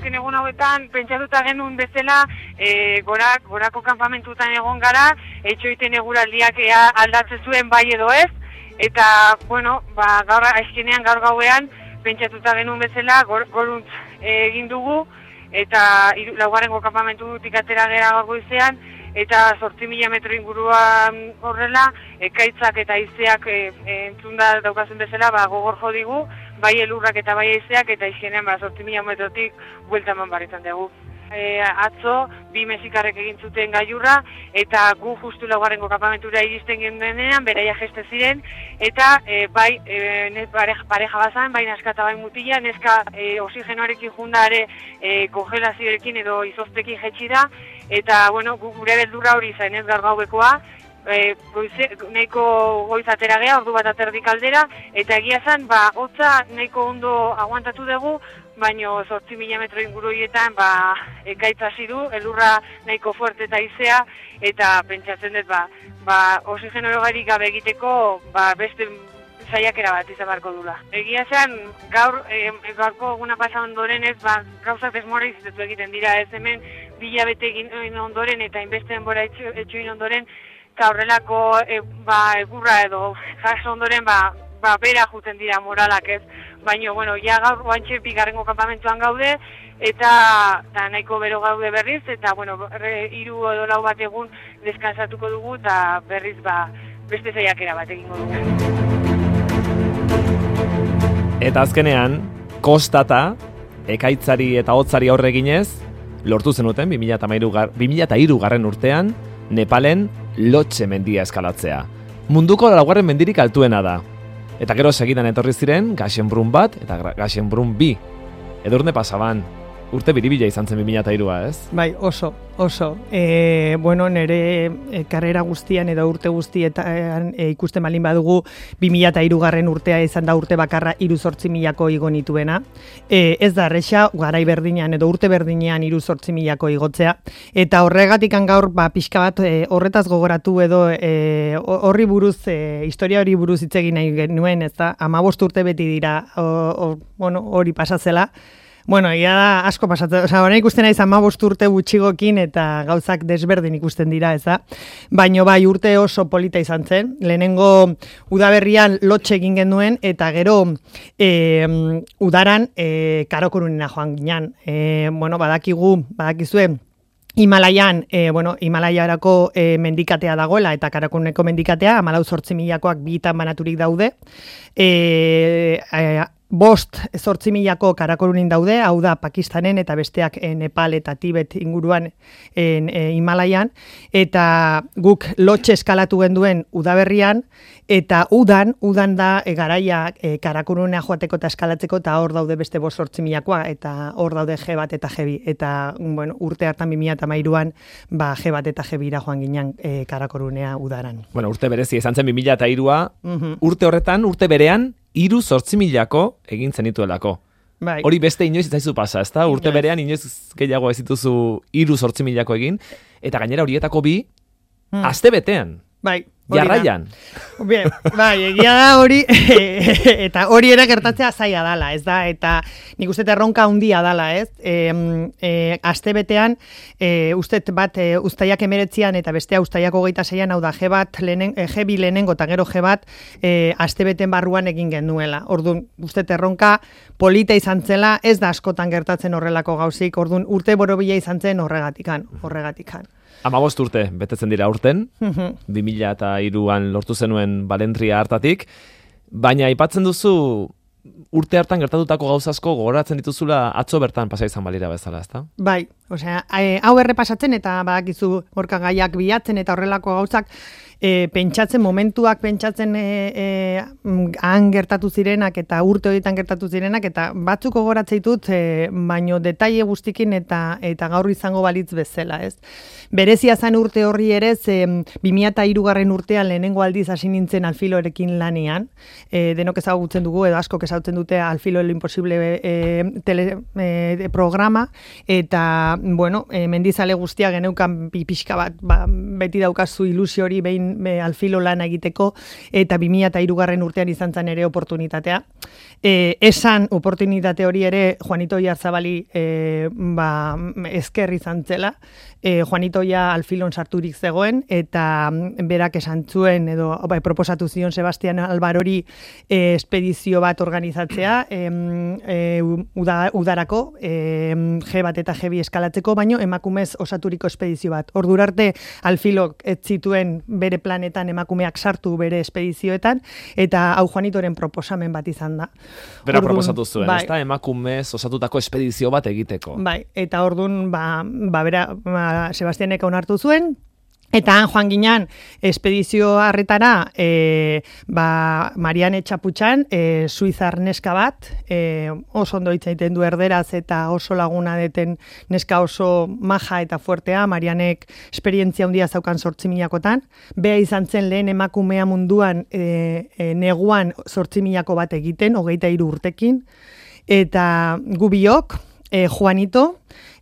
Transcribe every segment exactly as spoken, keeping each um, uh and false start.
azken egun hauetan pentsatuta genuen bezala e, gora, gorako kanpamentutan egon gara, etxoiten eguraldiak ea aldatzen zuen bai edo ez, eta, bueno, ba, gaur azkenean gaur gauean pentsatuta genuen bezala gor, goruntz egin dugu, eta iru, laugarrengo kanpamentutik atera gera gaur goizean, eta zortzi mila metro inguruan horrela, ekaitzak eta haizeak e, e, entzunda daukazen bezala, ba, gogor jo digu, bai elurrak eta bai haizeak, eta izkenean ba, zortzi mila metrotik buelta eman barretan dugu. E, atzo, bi mexikarrek egin zuten gailurra, eta gu justu laugarrengo kanpamentura iristen gendenean, beraia jeste ziren, eta e, bai e, pareja, pareja bazan, bai neska eta bai mutila, neska e, oxigenoarekin junda ere e, kongelazioarekin edo izoztekin jetxi da, eta bueno, gu, gure beldurra hori zain ez gaur gaubekoa, e, goize, nahiko goiz atera geha, ordu bat aterdik aldera, eta egia zen, ba, hotza nahiko ondo aguantatu dugu, baino zortzi mila metro inguru horietan ba, ekaitz hasi du, elurra nahiko fuerte eta izea, eta pentsatzen dut, ba, ba, oxigeno erogarik gabe egiteko, ba, beste saiakera bat izan barko dula. Egia zen, gaur, e, gaurko eguna pasa ondoren ez, ba, gauzak desmoralizitu egiten dira, ez hemen bila bete egin ondoren eta inbeste denbora etxoin ondoren, eta horrelako e, ba, egurra edo jaso ondoren, ba, ba, bera juten dira moralak ez, baina, bueno, ja gaur guantxe bigarrengo kanpamentuan gaude, eta, eta nahiko bero gaude berriz, eta, bueno, hiru edo lau bat egun deskansatuko dugu, eta berriz, ba, beste saiakera bat egingo dugu. Eta azkenean, kostata, ekaitzari eta hotzari aurre eginez, lortu zenuten bi mila hiru garren urtean, Nepalen Lotse mendia eskalatzea. Munduko laugarren mendirik altuena da. Eta gero segidan etorri ziren Gaxenbrun bat eta Gaxenbrun bi. Edurne pasaban, urte biribila izan zen bi mila hirua, ez? Bai, oso, oso. E, bueno, nire e, karrera guztian edo urte guztietan e, ikusten balin badugu bi mila hiru garren urtea izan da urte bakarra hiru zortzi milako igo nituena. E, ez da erresa, garai berdinean edo urte berdinean hiru zortzi milako igotzea. Eta horregatikan gaur, ba, pixka bat e, horretaz gogoratu edo e, horri buruz, e, historia hori buruz hitz egin nahi genuen, ez da, hamabost urte beti dira o, o, bueno, hori pasatzela. Bueno, ia da asko pasatzen, osea, orain ikusten naiz hamabost urte gutxigokin eta gauzak desberdin ikusten dira, ez da? Baino bai urte oso polita izan zen. Lehenengo udaberrian Lotse egin genuen eta gero e, udaran e, Karakorunena joan ginen. E, bueno, badakigu, badakizue Himalaian, e, bueno, Himalaiarako e, mendikatea dagoela eta Karakoruneko mendikatea, hamalau zortzi milakoak bitan banaturik daude. E, e, Bost zortzi milako Karakorunin daude, hau da Pakistanen eta besteak e, Nepal eta Tibet inguruan en, e, Himalaian, eta guk Lotse eskalatu genduen udaberrian, eta udan, udan da e, garaia e, Karakorunea joateko eta eskalatzeko, eta hor daude beste bost zortzi milakoa, eta hor daude G bat eta G bi, eta bueno, urte hartan bi mila hamairuan ba, G bat eta G bira joan ginen e, Karakorunea udaran. Bueno, urte berezi izan zen bi mila hirua, uh-huh. urte horretan, urte berean, hiru zortzi milako egin zenituelako. Bai. Hori beste inoiz itzaizu pasa, ezta? Urte berean inoiz gehiago ez dituzu hiru zortzi milako egin, eta gainera horietako bi, hmm. aste betean. Bai. Jarraian. Bien, bai, egia da hori, eta hori ere gertatzea zaila dala, ez da, eta nik uste erronka handia dala, ez? E, e, aste betean, e, ustet bat e, ustaiak emeretzian eta bestea ustaiak hogeita zeian, hau da, G bat, lehenen, e, G bi lehenengo eta gero G bat, e, aste beten barruan egin genuela. Orduan, ustet erronka polita izan zela, ez da askotan gertatzen horrelako gauzik, orduan, urte borobila izan zen horregatikan, horregatikan. Hamabost urte betetzen dira urten, bi mila hiruan lortu zenuen Balentria hartatik, baina aipatzen duzu urte hartan gertatutako gauzasko gogoratzen dituzula atzo bertan pasa izan balira bezala, ezta? Bai, osea, hau errepasatzen eta badakizu gorka gaiak bilatzen eta horrelako gauzak, E, pentsatzen, momentuak pentsatzen e, e, han gertatu zirenak eta urte horietan gertatu zirenak eta batzuk gogoratzeitut, e, baino detaile guztikin eta eta gaur izango balitz bezala, ez? Berezia zen urte horri ere, bi mila hiru garren urtean lehenengo aldiz hasi nintzen Alfilorekin lanean, e, denok ezagutzen dugu edo askok ezagutzen dute Alfilo lo imposible e, tele, e, programa, eta bueno, e, mendizale guztia geneukan pixka bat, ba, beti daukazu ilusio hori behin be, alfilo lan egiteko, eta bi mila hirugarren urtean izan zen ere oportunitatea. E, esan oportunitate hori ere Juanito Oyarzabali e, ba, esker izan zela, e, Juanito ja alfilon sarturik zegoen, eta berak esan zuen, edo ba, proposatu zion Sebastian Albarori e, espedizio bat organizatzea, e, e, uda, udarako, e, G bat eta G bi eskalatzeko, baino emakumez osaturiko espedizio bat. Ordurarte alfilok ez zituen bere planetan emakumeak sartu bere espedizioetan, eta hau Juanitoren proposamen bat izan da. Bera Ordun, proposatu zuen, bai, ezta emakumez osatutako espedizio bat egiteko. Bai, eta ordun ba, ba bera ba, Sebastianek onartu zuen, eta han joan ginen espedizio harretara e, ba, Mariane Txaputxan, e, suizar neska bat, e, oso ondo hitz egiten du erderaz eta oso laguna deten neska oso maja eta fuertea, Marianek esperientzia handia zaukan zortzi milakotan, bea izan zen lehen emakumea munduan e, e, neguan zortzi milako bat egiten, hogeita hiru urtekin, eta gu biok, e, Juanito,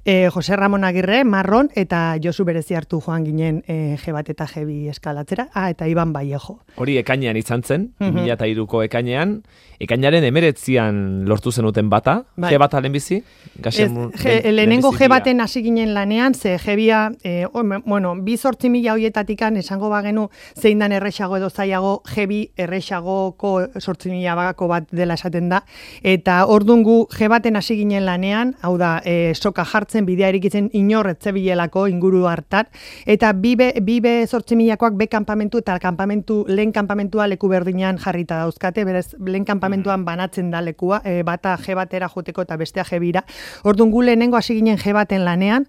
E, Jose Ramon Agirre, Marron, eta Josu berezi hartu joan ginen e, G bat eta G bi eskalatzera, ah, eta Iban Vallejo. Hori ekainean izan zen, Mhm. bi mila hiruko ekainean, ekainaren emeretzian lortu zenuten bata, Bai. G bata lehenbizi? Ez, G, lehenengo G baten hasi ginen lanean, ze G bia, e, o, bueno, bi zortzi mila hoietatikan esango bagenu zein dan erresago edo zailago, G bi erresagoko zortzi mila bagako bat dela esaten da, eta ordun gu G baten hasi ginen lanean, hau da, e, soka jartzen, bidea erikitzen inor etzebilelako inguru hartan, eta bibe, bibe zortzi milakoak be kanpamentu eta kanpamentu, lehen kanpamentua leku berdinean jarrita dauzkate, berez lehen kanpamentuan banatzen da lekua, e, bata G batera joteko eta bestea G bira. Orduan gu lehenengo hasi ginen G baten lanean,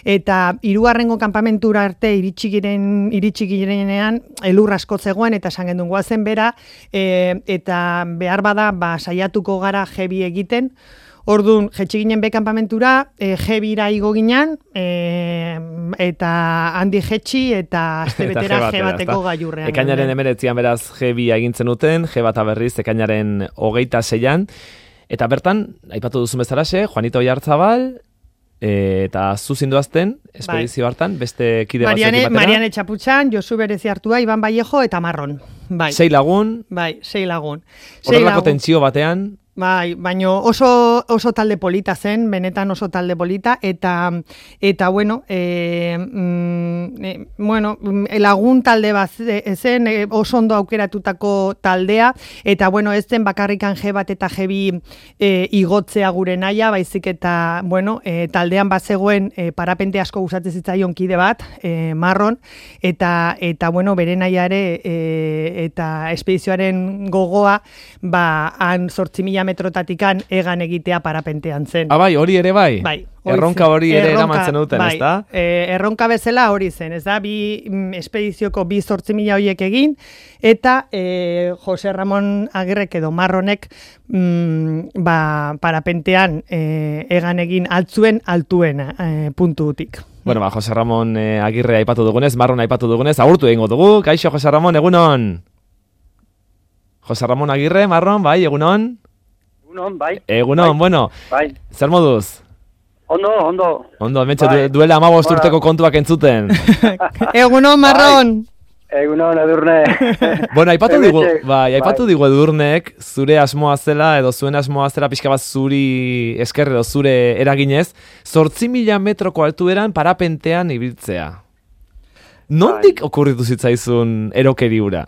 eta hirugarrengo kanpamentura arte iritsi giren, iritsi girenean elur asko zegoen, eta esan gendun goazen bera, e, eta behar bada ba, saiatuko gara G bi egiten. Orduan, jetxi ginen be kanpamentura, e, G bira igo ginen, e, eta handi jetxi, eta astebetera G bateko gailurrean. Ekainaren emeretzian beraz G bi egintzen duten, G bata berriz ekainaren hogeita seian, eta bertan, aipatu duzu bezalaxe, Juanito Oyarzabal, e, eta zu zinduazten, espedizio hartan, beste kide Mariane, batzuekin batera. Mariane Txaputxan, Josu berezi hartua, Iban Vallejo eta Marron. Bai. Sei lagun, Bai, sei lagun. Sei horrelako lagun. tentsio batean, Bai, baino oso, oso talde polita zen, benetan oso talde polita, eta, eta bueno, e, mm, e, bueno, lagun talde bat zen, e, oso ondo aukeratutako taldea, eta bueno, ez zen bakarrikan G bat eta G bi e, igotzea gure naia, baizik eta, bueno, e, taldean bazegoen e, parapente asko gustatzen zitzaion kide bat, e, Marron, eta, eta bueno, bere naia ere, e, eta espedizioaren gogoa, ba, han zortzi mila metrotatikan egan egitea parapentean zen. ah bai, hori ere bai? Bai. Erronka hori ere eramatzen duten, bai, ez da? E, erronka bezala hori zen, ez da, bi mm, espedizioko bi zortzi mila horiek egin, eta e, Jose Ramon Agirrek edo Marronek mm, ba, parapentean e, egan egin altzuen altuena e, puntutik. Bueno, ba, Jose Ramon eh, Agirre aipatu dugunez, Marron aipatu dugunez, agurtu egingo dugu. Kaixo, Jose Ramon, egunon. Jose Ramon Agirre, Marron, bai, egunon. Egunon, bai. Egunon, bai. bueno, Bai. zer moduz? Ondo, ondo. Ondo, hementxe Bai. du, duela amabost Bueno. urteko kontuak entzuten. Egunon, Marron! Egunon, Edurne. Bueno, aipatu digu, Hementxe, bai, aipatu bai. digu Edurnek, zure asmoa zela, edo zuen asmoa zela pixka bat zuri esker edo zure eraginez, zortzi mila metroko altueran parapentean ibiltzea. Nondik okurritu zitzaizun erokeri hura?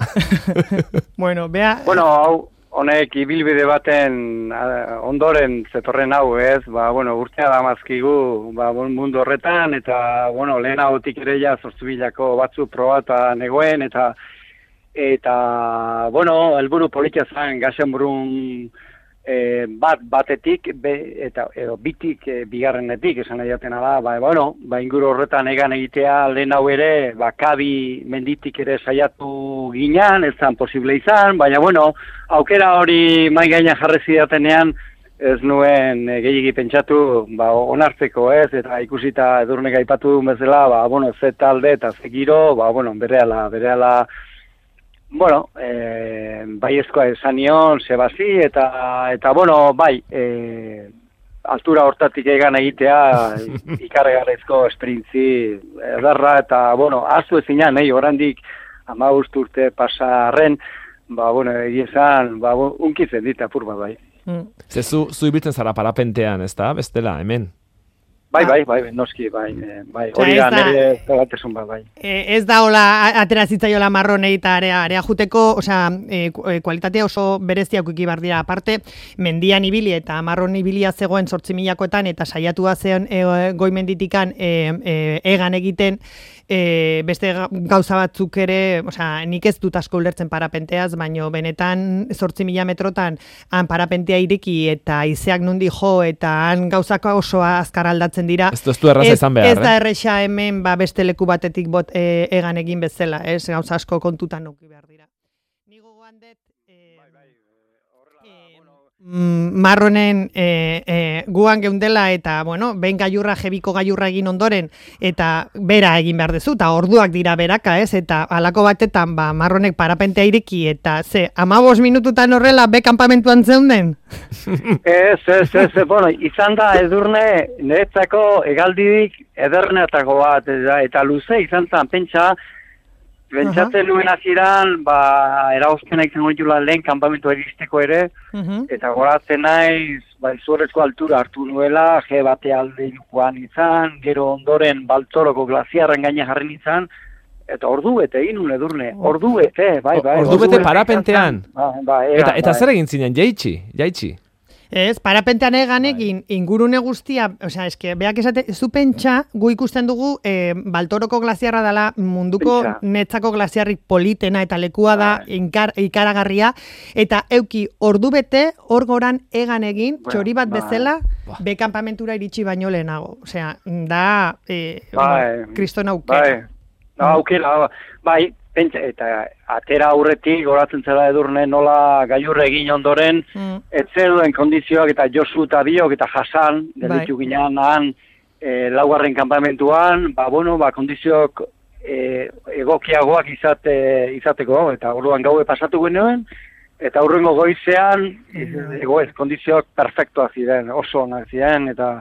Bueno, bea... Bueno, hau, honek ibilbide baten a, ondoren zetorren hau, ez? Ba, bueno, urtea da mazkigu, ba, bon, mundu horretan, eta, bueno, lehen hautik ere ja zortzibilako batzu probata negoen, eta, eta, bueno, helburu politia zen, Gaxenbrun e, bat batetik, be, eta, edo bitik, e, bigarrenetik, esan nahi jatena da, ba, bueno, ba, inguru horretan egan egitea lehen hau ere, ba, Kabi menditik ere saiatu ginean, ez zan posible izan, baina, bueno, aukera hori mai gainean jarri zidatenean, ez nuen e, gehiagi pentsatu, ba, onartzeko ez, eta ikusita Edurnek aipatu duen bezala, ba, bueno, ze talde eta ze giro, ba, bueno, berehala, berehala, bueno, e, baiezkoa esan nion, Sebasi, eta, eta bueno, bai, e, altura hortatik egan egitea ikarregarrezko esperintzi ederra eta, bueno, aztu ezinan, nahi, orandik hamabost urte pasarren, ba, bueno, egiezan, ba, unkitzen dit apur bat, bai. Mm. Ze zu, zu ibiltzen zara parapentean, ez da, bestela, hemen? Bai, bai, bai, noski, bai, bai, hori da, nire zagatesun bat, bai. Ez da, hola, atera zitzaiola marronei eta area, area juteko, osea, e, kualitatea oso bereziak ikibar dira, aparte, mendian ibili eta marron ibilia zegoen zortzi milakoetan, eta saiatua zen e, goi menditikan e, e, egan egiten, e, beste gauza batzuk ere, osea, nik ez dut asko ulertzen parapenteaz, baino benetan zortzi mila metrotan han parapentea ireki eta izeak nundi jo, eta han gauzako oso azkar aldatzen dira. Ez du erraza izan behar, ez da erresa hemen ba, beste leku batetik bot, e, egan egin bezala, ez gauza asko kontutan nuki behar dira. Ni gogoan dut eh, eh, marronen eh, eh, guan geundela eta, bueno, behin gaiurra, jebiko gaiurra egin ondoren eta bera egin behar dezu, eta orduak dira beraka, ez, eta halako batetan ba, marronek parapentea ireki eta ze, amabos minututan horrela be kanpamentuan zeunden? Ez, ez, ez, bueno, izan da edurne niretzako hegaldirik ederrenetako bat, eta, eta luze izan zen, pentsa, pentsatzen uh-huh. nuen hasieran, ba, eragozpena izango ditula lehen kanpamentua iristeko ere, uh-huh. eta goratzen naiz, ba, izugarrizko altura hartu nuela, je bate alde joan izan, gero ondoren Baltoroko glaziarren gaina jarri izan, eta ordu bete egin un edurne, ordu bete, bai, bai. Ordu bete parapentean. Ba, ba, egan, eta eta bai. zer egin zinen, jaitsi, jaitsi. Ez, parapentean egan egin, ingurune guztia, osea, eske, beak esate, zu pentsa, gu ikusten dugu, e, Baltoroko glaziarra dela munduko pentsa. Netzako glaziarrik politena eta lekua da inkar, ikaragarria, eta euki ordu bete, hor goran egan egin, bueno, txori bat bezala, ba. Be kanpamentura iritsi baino lehenago. Osea, da, e, bai, kriston aukera. Bai. No, aukera, bai, pentsa, eta atera aurretik goratzen zela edurne nola gailurre egin ondoren, mm. etzeruen kondizioak eta Josu eta Biok eta Hasan, gelditu bai. Ginean han, e, laugarren kanpamentuan, ba, bueno, ba, kondizioak e, egokiagoak izate, izateko, eta orduan gaue pasatu genuen, eta aurrengo goizean, mm. ego ez, kondizioak perfektoak ziren, oso onak ziren, eta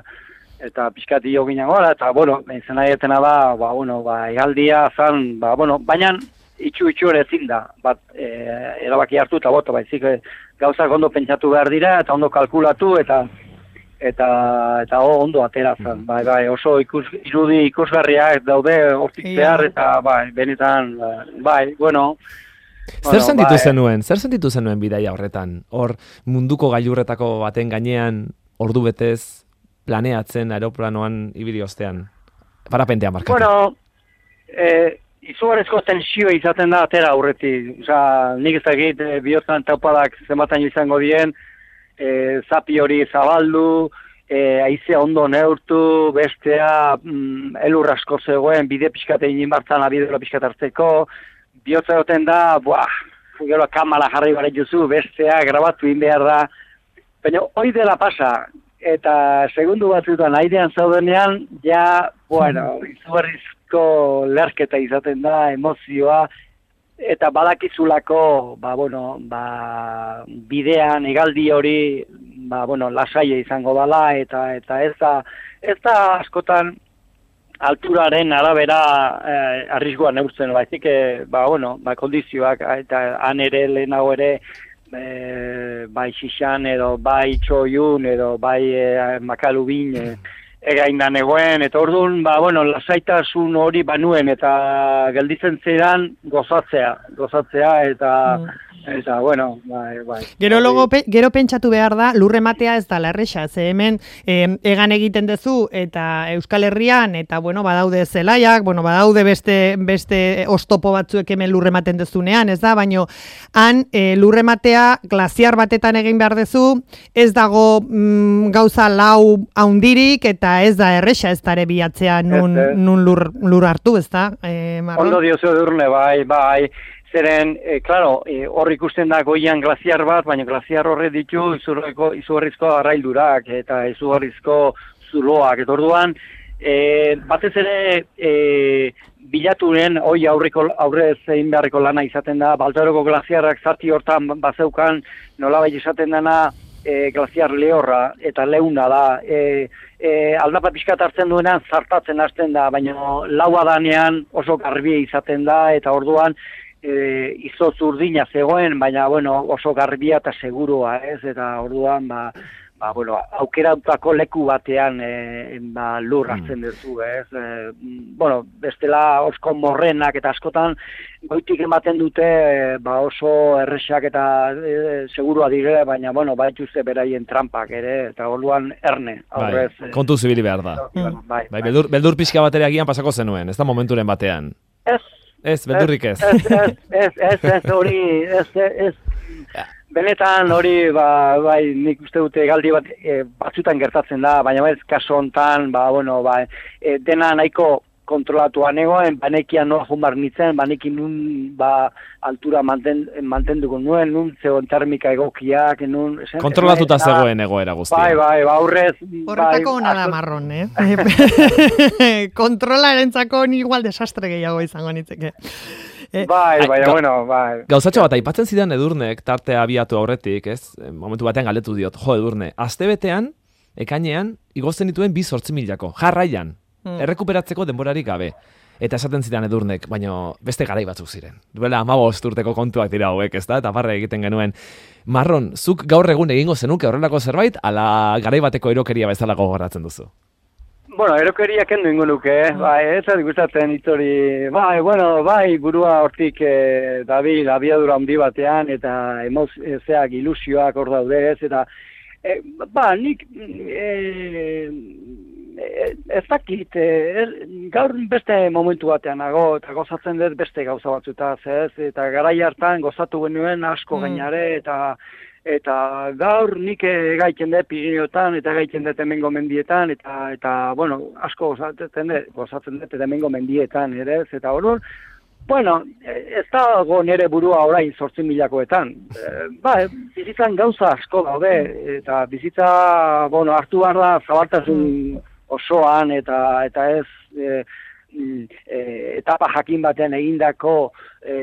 eta pixkati jo ginen gora, eta, bueno, izan aietena da, ba, bueno, ba, egaldia zan, ba, bueno, baina itxu-itxu ere ezin da, bat, e, erabaki hartu eta boto, baizik, gauzak ondo pentsatu behar dira, eta ondo kalkulatu, eta eta eta oh, ondo atera zan, bai, bai, oso ikus, irudi ikusgarriak daude hortik behar, eta, bai, benetan, bai, bueno, Zer bueno, sentitu bai. zenuen, zer sentitu zenuen bidaia horretan, hor munduko gailurretako baten gainean, ordu betez, planeatzen aeroplanoan ibili ostean, parapentean markatu. Bueno, eh, izugarrizko tensioa izaten da atera aurretik. Osa, nik ez dakit eh, bihotzan taupadak zenbatan izango dien, eh, zapi hori zabaldu, eh, haize ondo neurtu, bestea mm, elur asko zegoen, bide pixkate inin bartzan, abidelo pixkat hartzeko, bihotza duten da, buah, gero kamala jarri bare juzu, bestea grabatu in behar da, baina hori dela pasa, eta segundu batzutan airean zaudenean, ja, bueno, izugarrizko lerketa izaten da, emozioa, eta badakizulako, ba, bueno, ba, bidean, hegaldi hori, ba, bueno, lasaia izango dala, eta eta ez da, ez da askotan alturaren arabera eh, arrisgoa neurtzen, baizik, eh, ba, bueno, ba, kondizioak, eta han ere lehenago ere, E, bai xixan edo bai txoiun edo bai e, makalubin e, egainan egoen, eta orduan, ba, bueno, lasaitasun hori banuen eta gelditzen zidan gozatzea, gozatzea eta mm. eta, bueno, bai, bai. Gero, logo, pe, gero pentsatu behar da, lurre matea ez da larrexa, ze hemen eh, egan egiten dezu eta Euskal Herrian, eta, bueno, badaude zelaiak, bueno, badaude beste, beste ostopo batzuek hemen lurre maten dezunean, ez da, baino, han eh, lurre matea glaziar batetan egin behar dezu, ez dago mm, gauza lau haundirik, eta ez da errexa, ez da ere bilatzea nun, ez, ez. nun lur, lur hartu, ez da, eh, Marron? Ondo diozu edurne, bai, bai. Zeren, e, klaro, e, hor ikusten da goian glaziar bat, baina glaziar horre ditu izugarrizko arraildurak eta izugarrizko zuloak. Eta orduan, e, batez ere e, bilaturen, hoi aurreko, aurrez egin beharreko lana izaten da, Baltoroko glaziarrak zati hortan bazeukan, nolabait izaten dena, e, glaziar lehorra eta leuna da, e, e, aldapa pixkat hartzen duenean zartatzen hasten da, baina laua danean oso garbia izaten da, eta orduan e, izotz urdina zegoen, baina bueno, oso garbia eta segurua, ez, eta orduan, ba, ba, bueno, aukeratutako leku batean e, ba, lur hartzen duzu, ez? E, bueno, bestela osko morrenak eta askotan goitik ematen dute e, ba, oso erresak eta e, segurua dire, baina, bueno, baituzte beraien trampak ere, eta orduan erne, aurrez. Bai, kontu zibili behar da. Mm. Bai, bai, beldur, beldur pixka batera agian pasako zenuen, ez da momenturen batean. Ez. Ez, beldurrik ez. Ez, ez, ez, ez, ez, hori, ez, ez, benetan hori, ba, bai, nik uste dute galdi bat e, batzutan gertatzen da, baina ez kaso hontan, ba, bueno, ba, e, dena nahiko kontrolatua negoen, banekian noa jumbar nintzen, banekin nun, ba, altura manten, mantenduko nuen, nun zegoen termika egokiak, nun... Esen, kontrolatuta esen, zegoen egoera guztia. Bai, bai, ba, aurrez... Horretako bai, hona da asko... marron, eh? Kontrolarentzako igual desastre gehiago izango nitzeke. Eh, bai, bai, ga, bueno, bai. Gauzatxo bat, aipatzen zidan Edurnek, tartea abiatu aurretik, ez? Momentu batean galetu diot, jo, Edurne, astebetean, ekainean, igozten dituen bi zortzi milako, jarraian, hmm. errekuperatzeko denborarik gabe. Eta esaten zidan Edurnek, baina beste garai batzuk ziren. Duela hamabost urteko kontuak dira hauek, ez da? Eta barre egiten genuen. Marron, zuk gaur egun egingo zenuke horrelako zerbait, ala garai bateko erokeria bezala gogoratzen duzu? Bueno, erokeria kendu ingo nuke, eh? Bai, ez da gustatzen hitzori, bai, bueno, bai, burua hortik eh, dabil, abiadura handi batean, eta emozioak, ilusioak hor daude, ez, eta, eh, ba, nik, eh, ez dakit, eh, gaur beste momentu batean nago, eta gozatzen dut beste gauza batzutaz, ez, eta garai hartan gozatu genuen asko mm. gainare, eta, eta gaur nik gaiten dut Pirineotan, eta gaiten dut hemengo mendietan, eta, eta bueno, asko gozatzen dut, gozatzen dut hemengo mendietan, ere, eta orduan, bueno, ez dago nire burua orain zortzi milakoetan. E, ba, bizitzan gauza asko daude, eta bizitza, bueno, hartu behar da zabaltasun osoan, eta, eta ez... E, E, etapa jakin batean egindako e,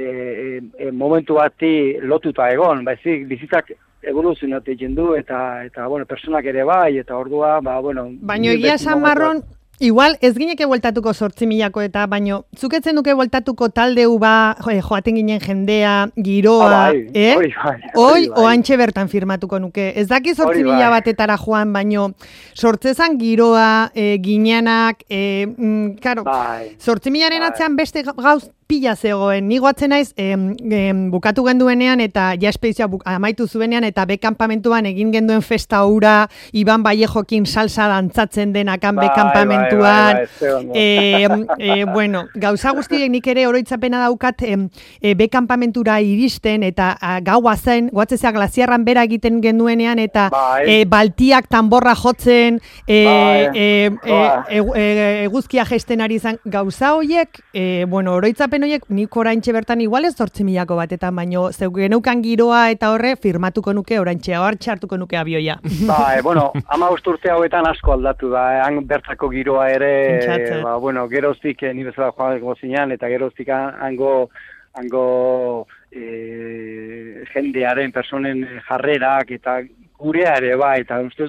e, momentu bati lotuta egon, baizik bizitzak evoluzionatu egiten du, eta, eta bueno, personak ere bai, eta ordua, ba, bueno... Baina egia San Marron, igual ez gineke bueltatuko zortzi milako eta, baino, zuketzen duke bueltatuko taldeu ba, jo, joaten ginen jendea, giroa, ah, bai, eh? Hori bai, hoi, bai. oantxe bertan firmatuko nuke. Ez daki zortzi mila bai. batetara joan, baino, sortzezan giroa, e, ginenak, e, mm, karo, bai. zortzi milaren bai. atzean beste gauz pila zegoen. Ni goatzen naiz, em, em, bukatu genduenean eta ja espedizioa amaitu zuenean eta bekanpamentuan egin genduen festa hura, Iban Vallejokin salsa dantzatzen denakan bai, bekanpamentuan. Bai, bai, bai, e, e, bueno, gauza guztiek nik ere oroitzapena daukat em, e, bekanpamentura iristen eta a, gaua zen, goatzezea glaziarran bera egiten genduenean eta bai. e, baltiak tanborra jotzen, e, bai. e, e, e, e, eguzkia jesten ari zen. Gauza horiek, e, bueno, oroitzapen horiek nik oraintxe bertan igual ez zortzi milako batetan, baino zeu geneukan giroa eta horre firmatuko nuke oraintxe, hartxe hartuko nuke abioia. Ba, e, bueno, hamabost urte hauetan asko aldatu da, han bertako giroa ere, Entxatzen. ba, bueno, geroztik eh, ni bezala joango zinean, eta geroztik hango, hango e, jendearen, personen jarrerak, eta gurea ere, bai, eta uste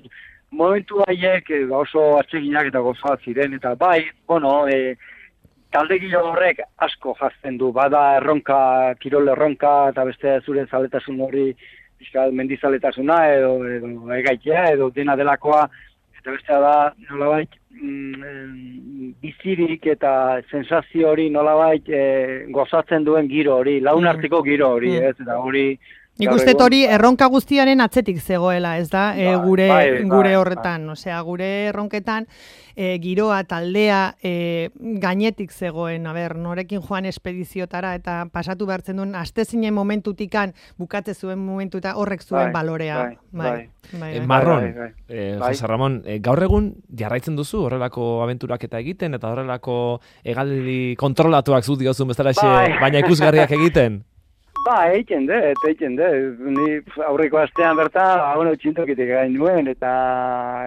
momentu haiek e, oso atseginak eta gozoa ziren, eta bai, bueno, e, talde gilo horrek asko jazten du, bada erronka, kirol erronka, eta beste zure zaletasun hori, bizkal mendizaletasuna, edo, edo egaitea, edo dena delakoa, eta beste da, nolabait, mm, bizirik eta sensazio hori nolabait e, gozatzen duen giro hori, launarteko giro hori, ez, eta hori... Nik uste hori erronka guztiaren atzetik zegoela, ez da, e, gure, bai, bai, gure bai, horretan, osea, gure erronketan e, giroa, taldea, e, gainetik zegoen, a ber, norekin joan espediziotara eta pasatu behartzen duen, aste zinen momentutikan, bukatze zuen momentuta horrek zuen bai, balorea. Bai, bai, bai. bai, E, bai. Marron, bai, bai, bai. eh, Bai. Jose Ramon, eh, gaur egun jarraitzen duzu horrelako abenturak eta egiten, eta horrelako hegaldi kontrolatuak zu diozun bezala Bai. baina ikusgarriak egiten? Ba, egiten dut, egiten dut. Ni aurreko astean bertan, bueno, txintokitik gain nuen, eta,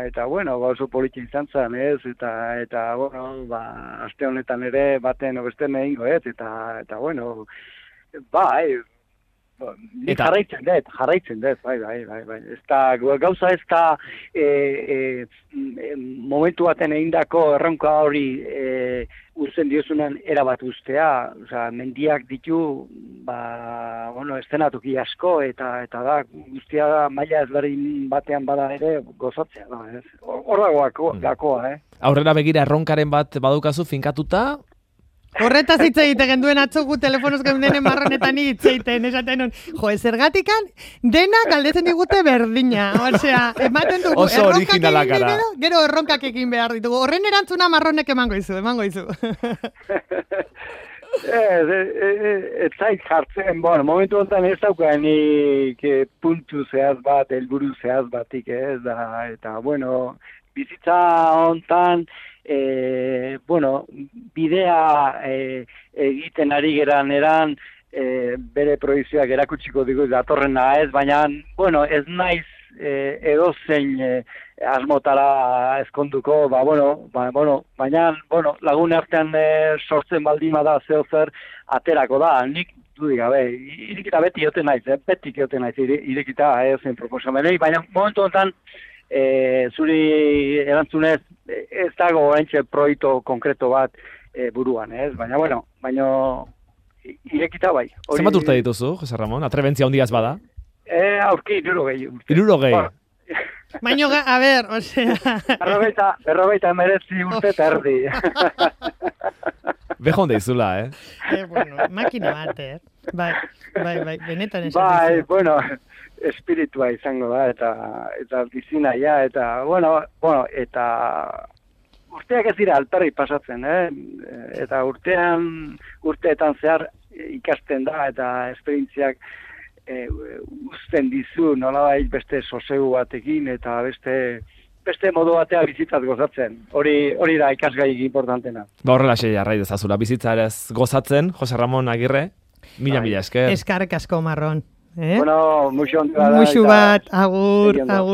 eta bueno, oso politxe izan zen, ez, eta, eta, bueno, ba, aste honetan ere baten obesten egingo, ez, eta, eta, bueno, ba, e, Ni eta... jarraitzen dut, jarraitzen dut, bai, bai, bai, bai. Ez da, gauza ez da e, e, momentu baten egindako erronka hori e, uzten diozunan erabat ustea, osea, mendiak ditu, ba, bueno, estenatuki asko, eta eta da, guztia da, maila ezberdin batean bada ere, gozatzea da, ez? Hor dagoako, gakoa, eh? Aurrera begira erronkaren bat badukazu finkatuta? Horretaz hitz egite genduen atzogu telefonoz geundenen marronetan hitz egiten, esaten hon, jo, zergatikan dena galdetzen digute berdina, osea, ematen dugu, oso originala gara. Gero, gero erronkak egin behar ditugu, horren erantzuna marronek emango izu, emango izu. Ez, ez zait jartzen, bueno, momentu honetan ez daukanik puntu zehaz bat, helburu zehaz batik ez da, eta, bueno, bizitza honetan, E, bueno, bidea e, egiten ari geran eran e, bere proizioak erakutsiko digu datorrena ez, baina, bueno, ez naiz e, edozein e, asmotara ezkonduko, ba, bueno, ba, bueno, baina, bueno, lagun artean e, sortzen baldin bada zeo zer aterako da, nik dudik gabe, irekita beti joten naiz, eh? Beti joten naiz, irekita ez zen proposamenei, baina momentu honetan, E, zuri erantzunez ez dago oraintxe proiektu konkreto bat e, buruan, ez? Baina, bueno, baina irekita bai. Hori... Zenbat urte dituzu, Jose Ramon? Atrebentzia handiaz bada? E, aurki, irurogei. Irurogei. Baina, a ber, osea... Berrogeita, berrogeita emeretzi urte eta erdi. Bejo honde izula, eh? eh? Bueno, makina bat, eh? Bai, bai, bai, benetan esan bai, dizu. Bueno... espiritua izango da, eta eta bizina, ja, eta, bueno, bueno, eta urteak ez dira alperri pasatzen, eh? Eta urtean, urteetan zehar ikasten da, eta esperientziak e, uzten dizu, nolabait beste sosegu batekin, eta beste beste modu batea bizitzat gozatzen. Hori hori da ikasgai importantena. Ba, horrela xe jarrai dezazula, bizitzarez gozatzen, Jose Ramon Agirre, mila mila esker. Eskarrik asko marron. Eh? Bueno, muxu bat, muxu bat, agur, agur.